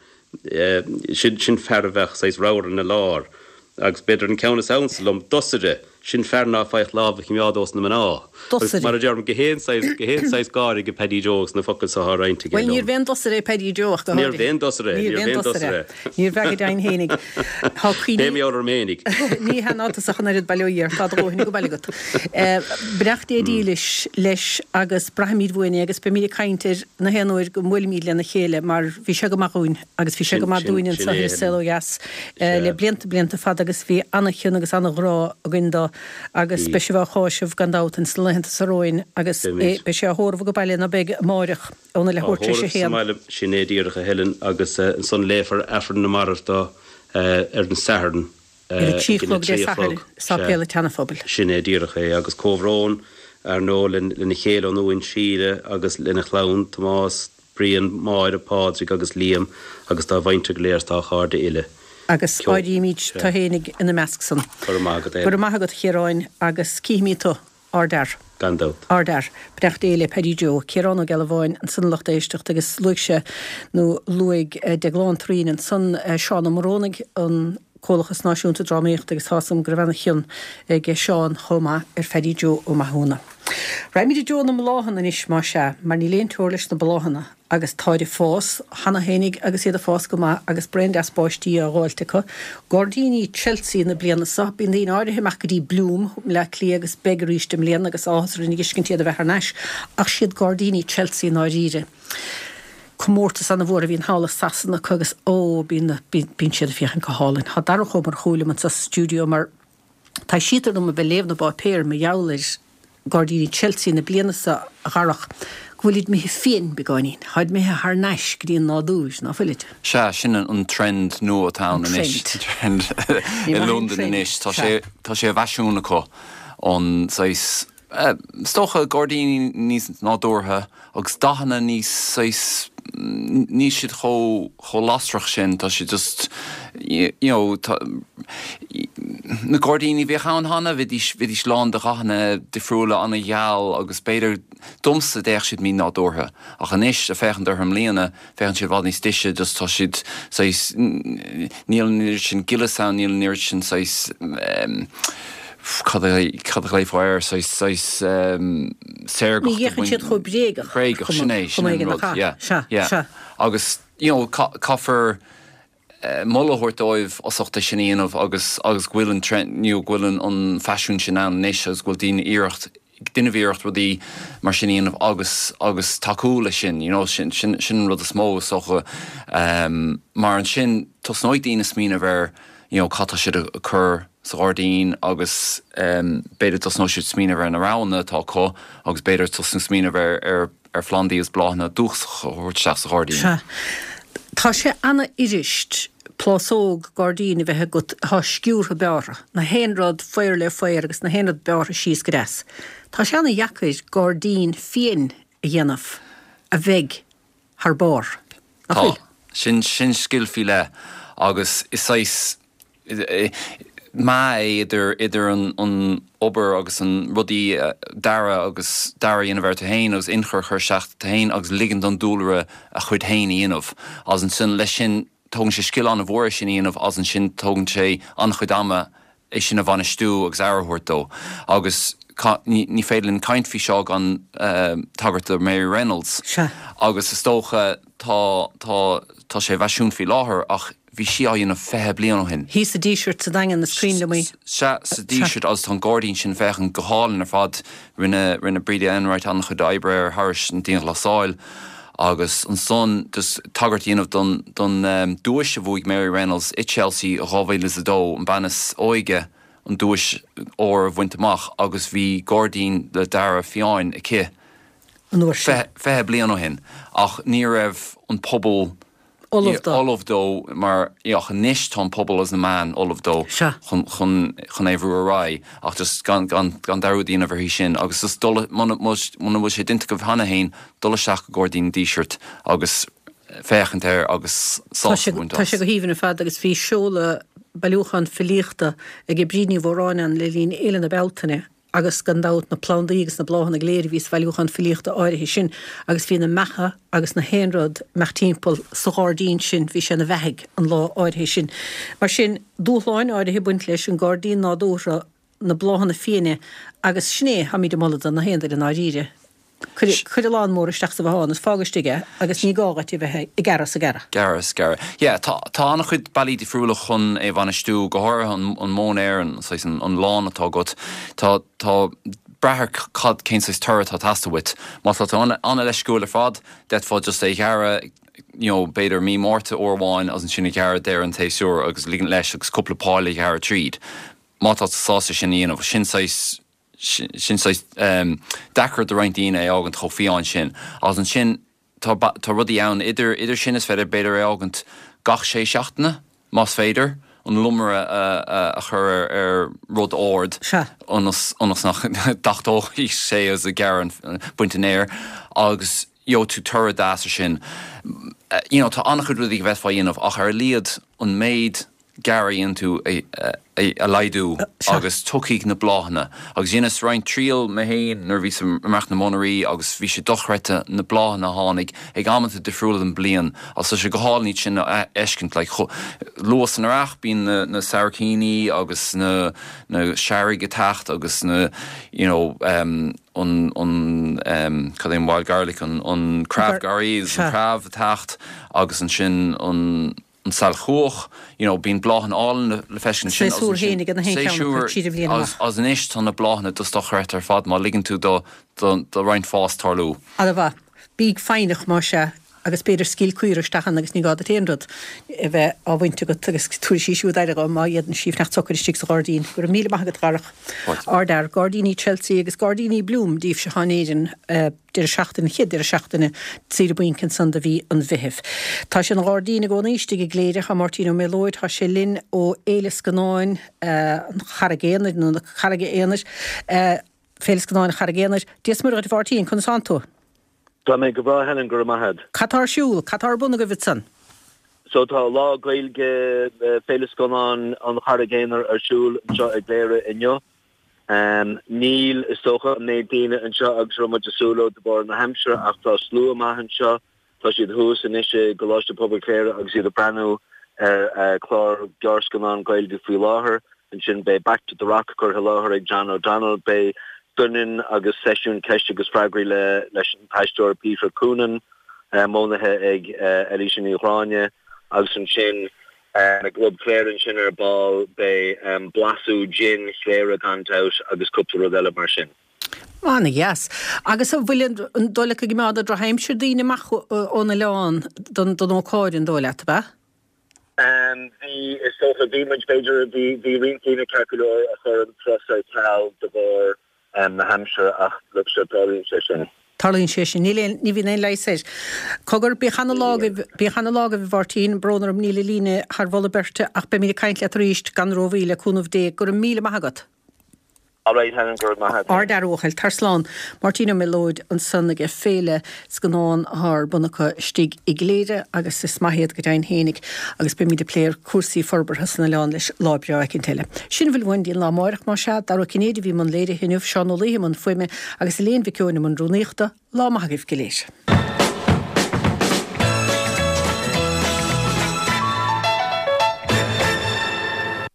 sin, sin fear a bheadh saghas ramhar ina lár, agus b'fhéidir an ceann is ansa liom, dosaire, sin fear ná faigheadh lámh a chimeád ós na mná. Agus Dosaire. mar a deirim, gach aon saghas, gach aon saghas gáire ag Paddy Joe agus na focail so á roinnt aige Bhuel, liom. níorbh aon dosaire é Paddy Joe ach go Níorbh háirithe. aon dosaire é, Níorbh níorbh aon aon dosaire dosaire é. é. Níorbh ea go deimhin fhéinig. Tá cuimhní. Beidh mé orm fhéinig. Ní hea ná tusa ach an oiread bail ó Dhia ort, tá do dhóthain ag baile agat. Beannacht Dé dílis leis agus braithfimid uainn é agus beimid ag caint air na haon uair go mbuailfimid lena chéile mar bhí sé go maith dhúinn agus bhí sé Sin, go maith sin, dúinn sin anseo é, ar An Saol Ó Helen. Dheas le Sea. blianta, blianta fada agus bhí an-chion agus an-ghrá againn dó agus Bhí. beidh sibh á cháiseamh gan dabht ins na laethanta seo romhainn agus Beimid. beidh sé á thórramh go baile nó beidh amáireach óna Á leathuair tar éis a thórramh sa haon. mbaile, sin é díreach, a Helen, agus ansan léifear Aifreann na Marbh dó ar an Satharn Ar a trí ag a chlog Dé trí a Sathairn chlog. i Sáipéal Sea. an tSeana-Phobail. Sin é díreach é, agus comhbhrón, ar ndóigh, lena chéile ionúin Síle agus lena chlann, Tomás, Brian, Máire, Pádraig agus Liam agus dá mhuintir go léir is dá chairde uile. Agus Ceol. áirímid Sea. tú fhéinig ina measc san. Go raibh maith agat, Go raibh Helen. maith agat, a Chiaráin, agus cífimid tú. Ardfhear. Gan dabht. Ardfhear. Beannacht Dé le Paddy Joe. Ciarán Ó Gealbháin ansan a lucht éisteachta agus luaigh sé, nó luaigh Deaglán Thureen ansan Seán Ó Morónaigh, an Comhlachas Náisiúnta Drámaíochta agus tá's agam go raibh ana-chion ag Seán chomh maith ar Phaddy Joe Ó Mathúna. Raghaimid i dtreo na mbláthanna anois más ea, mar níl aon teora leis na bláthanna agus táid ag fás cheana fhéinig agus iad ag fás go maith agus braon deas báistí á dh'fháilt acu. Gairdíní Chelsea na bliana seo, bíonn daoine áirithe amach go dtí Bloom i mBleá Cliath agus beidh arís i mbliana agus áthas orainn a dh'fheiscint iad a bheith thar n-ais, ach siad Gairdíní Chelsea i ndáiríre. Comórtas ana-mhór a bhíonn thall i Sasana acu agus ó, bíonn, bíonn siad ag féachaint go hálainn. Tá Darach Ó Murchú liom anseo sa stiúideo mar taibhsítear dom a bheith ag léamh na bpáipéar mar gheall ar Gairdíní Chelsea na bliana seo, a Dharach, go bhfuilid imithe fiáin beagáinín. Táid imithe thar n-ais go dtí an nádúr, ná fuilid? Sea, sin an trend nua atá ann anois. Trend. I Londain anois. Tá sé, tá sé i bhfaisean acu an saghas, is dócha gairdíní níos nádúrtha agus dathanna níos saghas, níl siad chomh chomh lasrach sin, tá siad just you know tá na gairdíní a bhíodh ann cheana, bhídís bhídís lán de dhathanna difriúla an-gheal agus b'fhéidir domsa d'fhéach siad mí-nádúrtha ach anois ag féachaint orthu i mbliana féachann siad i bhfad níos deise just tá siad saghas níl an oiread sin gileas ann, níl an oiread sin saghas cad a cad a ghlaofá air, saghas saghas saorgacht Ní fhéachann siad chomh bréagach, Bréagach, sin é, sin chomh an éigin rud, nach ea? yeah, Sea, yeah. sea. Agus, you know, caithfear moladh a thabhairt dóibh as ucht é sin a dhéanamh agus agus go bhfuil an trend, you know, go bhfuil an an faisiún sin ann anois agus go bhfuil daoine iarracht ag déanamh iarracht rudaí mar sin a dhéanamh agus agus tacú leis sin, you know, sin sin sin an rud is mó is dócha mar ansin tosnóidh daoine smaoineamh ar you know cad tá siad a cur sa ghairdín agus b'fhéidir tosnóidh siad smaoineamh ar na roghanna atá acu agus b'fhéidir tosnú smaoineamh ar ar ar phlandaí agus bláthanna dúchasacha a thabhairt isteach sa ghairdín. Sea. Tá sé ana-fhuirist plásóg gairdín a bheith agat atá sciúrtha bearrtha, na haon rud faobhar le faobhar agus na haon rud bearrtha síos go deas. Tá sé ana-dheacair gairdín fiáin a dhéanamh a bheidh thar barr, nach Tá. bhfuil? Sin sin scil faoi leith agus is saghas meá é idir idir an an obair agus an rudaí dearadh agus dearadh a dhéanamh air tú féin agus ionchur a chur isteach tú féin agus ligean don dúlra a chuid féin a dhéanamh agus ansin leis sin tógann sé scil an-mhór é sin a dhéanamh agus ansin tógann sé an-chuid ama é sin a bhainistiú agus aire a thabhairt dó agus ní ní féidir linn caint faoi seo gan tagairt do Mary Reynolds Sea. agus is dócha tá tá tá sé i bhfaisiún faoi láthair ach bhí sí á dhéanamh fiche bliain ó shin. Thíos sa Díseart sa Daingean is cuimhin liom í. Sea, sa Díseart agus tá an gairdín sin féachaint go hálainn ar fad. Rinne rinne Breda Enright an-chuid oibre air thairis an dianghlasáil agus ansan just tagairt a dhéanamh don don duais a bhuaigh Mary Reynolds i Chelsea i dhá mhíle is a dó, an bean is óige an duais óir a bhaint amach agus bhí gairdín le dearadh fiáin aici an uair sin. fiche bliain ó shin ach ní raibh an pobal ullamh dó. ullamh dó mar ach anois tá an pobal agus na meáin ullamh dó Sea. chun chun chun é a bhrú ar aghaidh ach just gan gan gan dearúd a dhéanamh uirthi sin agus just dul muna muna bhfuil sé déanta agaibh cheana féin dul isteach go Gairdín an Dísirt agus féachaint air agus Tá sé sásamh a bhaint tá sé as. go haoibhinn ar fad agus bhí seoladh bailiúchán filíochta ag Bríd Ní Mhóráin ann le linn Fhéile na Bealtaine agus gan dabht na plandaí agus na bláthanna go léir a bhí sa bhailiúchán filíochta áirithe sin agus bhí na beacha agus na haon rud amach timpeall sa ghairdín sin, bhí sé ina bheathaigh an lá áirithe sin. Mar sin, dúshláin áirithe ag baint leis an gairdín nádúrtha, na bláthanna fiáine agus sin é, táimid ag moladh do na haon duine i ndáiríre. Cuir cuir a lán mór isteach sa bhothán is fág istigh é agus ní gá dhuit a bheith ag gearradh is ag gearradh. Gearradh is gearradh. Yeah, tá tá an-chuid bealaí difriúla chun é a bhainistiú, go háirithe an an móinéar, an saghas an an lawn atá agat. Tá tá brath ar cad cén saghas toradh atá ag teastáil uait. Má tá tú an an-leisciúil ar fad, d'fhéadfá just é a ghearradh you know, b'fhéidir mí Márta uair amháin agus ansin a ghearradh deireadh an tséasúir agus ligint leis agus cúpla poll a ghearradh tríd. Má tá tú sásta sin a dhéanamh, sin saghas sin saghas deacair do roinnt daoine é a fhágaint chomh fiáin sin. Agus ansin tá tá rudaí ann idir idir sin is féidir b'fhéidir é a fhágaint gach sé seachtaine, más féidir, an lomaire a a chur ar ar rud ard ionas ionas nach dtachtóidh sé agus a gearradh an baint an fhéir agus gheobhaidh tú toradh deas ar sin. You know, tá an-chuid rudaí go bhféadfá a dhéanamh ach ar a laghad an méid gearradh a dhéanann tú a laghdú agus tiocfaidh na bláthanna. Agus dheineas roinnt triail mé féin nuair a bhíos i measc na monaraí agus bhí sé dochreidte na bláthanna a tháinig ag amanta difriúla den bliain agus tá sé go hálainn iad sin a fheiscint. Like chomh luath san earrach bíonn na na sabhaircíní agus na na searraigh ag teacht agus na you know um an an um cad é an wild garlic an an crab garlic an crab ag teacht agus ansin an an sailchuach, you know, bíonn bláthanna álainn le feiscint ansin agus Séasúr féin ag an haon cheann acu tríd an bhliain amach. Agus anois tá na bláthanna just dochreidte ar fad má ligeann tú do do roinnt fás tarlú. Ana-mhaith. Bíg foighneach más ea agus b'fhéidir scaoil caora isteach ann agus ní gá duit aon rud a bheith á bhaint agat agus tabharfaidh sí siúd aire dho má fhéadann sí fanacht socair istigh sa ghairdín. Go raibh míle maith agat a Dharach. Ardfhear. Gairdíní Chelsea agus Gairdíní Bloom daoibhse atá in Éirinn. Deireadh seachtaine, an chéad deireadh seachtaine saoire bainc ansan de mhí an Mheithimh. Tá sé ina ghairdín i gcónaí istigh i gCléire. Tá Máirtín Ó Méalóid, tá sé linn ó Fhéile Scannáin an Charraig Aonair, nó na Carraige Aonair, Féile Scannáin an Charraig Aonair. Dia is Muire dhuit a Mháirtín, conas tánn tú? Tá mé go breá Helen, go raibh maith agat. Cad tá ar siúl? Cad tá ar bun agaibh ansan? So tá Lá Gaeilge Féile Scannán an Charraig Aonair ar siúl anseo i gCléire inniu. Níl, is dócha, an méid daoine anseo agus a raibh muid ag súil leo de bharr na haimsire ach tá slua maith anseo. Tá siad thuas anois i gColáiste Pobail Chléire agus iad ag breathnú ar chlár gearrscannán Gaeilge faoi láthair. Ansin beidh Back to the Rock curtha i láthair ag John O'Donnell. Beidh doineann agus seisiún ceist agus freagraí leis an t-aisteoir Peter Coonan, modhnaithe ag Eilíse Ní Ghráinne agus ansin I gClub Chléire ansin ar ball beidh blaiseadh jin Chléire gan dabht agus cúpla rud eile mar sin. Ana-dheas. Agus an bhfuil an dóigh leat go gcimeádfaidh an drochaimsir daoine amach ón oileán don don ócáid an dóigh leat, ab ea? Bhí, is dócha, bhí muid, b'fhéidir, bhí bhí roinnt daoine ceart go leor a chuir an turas ar ceal de bharr na haimsire ach look sure tarlaíonn sé sin. Tarlaíonn sé sin. Níl aon, ní bhíonn aon leigheas air. Cogar, bíodh ana lá agaibh, bíodh ana lá agaibh a Mháirtín, brón orm níl an líne thar mholadh beirte ach beimid ag caint leat arís gan rómhoill le cúnamh Dé. Go raibh míle maith agat. All right Helen, go raibh maith agat. Ardfhear a bhuachaill. Tar slán. Máirtín Ó Méalóid ansan aige Féile Scannán atá ar bun acu istigh i gCléire agus is maith iad go deimhin fhéinig agus beimid ag plé ar cúrsaí forbartha san oileán leis lá breá eicint eile. Sin a bhfuil uainn go dtí an lá amáireach más ea, Dara Ó Cinnéide a bhí i mbun léirithe inniu, Seán Ó Laoithe i mbun fuaime agus Elaine Mhic Eoin i mbun rúnaíochta. Lá maith agaibh go léir.